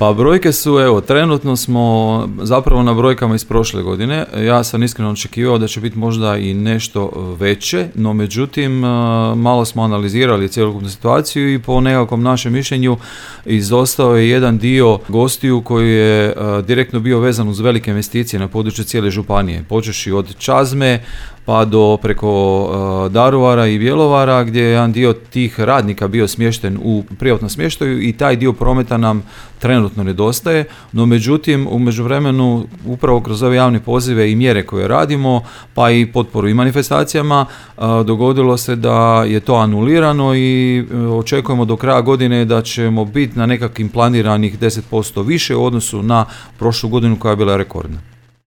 Pa brojke su, evo, trenutno smo zapravo na brojkama iz prošle godine. Ja sam iskreno očekivao da će biti možda i nešto veće, no međutim malo smo analizirali cjelokupnu situaciju i po nekakvom našem mišljenju izostao je jedan dio gostiju koji je direktno bio vezan uz velike investicije na području cijele županije, počevši od Čazme pa do preko Daruvara i Bjelovara, gdje je jedan dio tih radnika bio smješten u privatnom smještaju i taj dio prometa nam trenutno nedostaje, no međutim u međuvremenu upravo kroz ove javne pozive i mjere koje radimo, pa i potporu i manifestacijama, dogodilo se da je to anulirano i očekujemo do kraja godine da ćemo biti na nekakvim planiranih 10% više u odnosu na prošlu godinu koja je bila rekordna.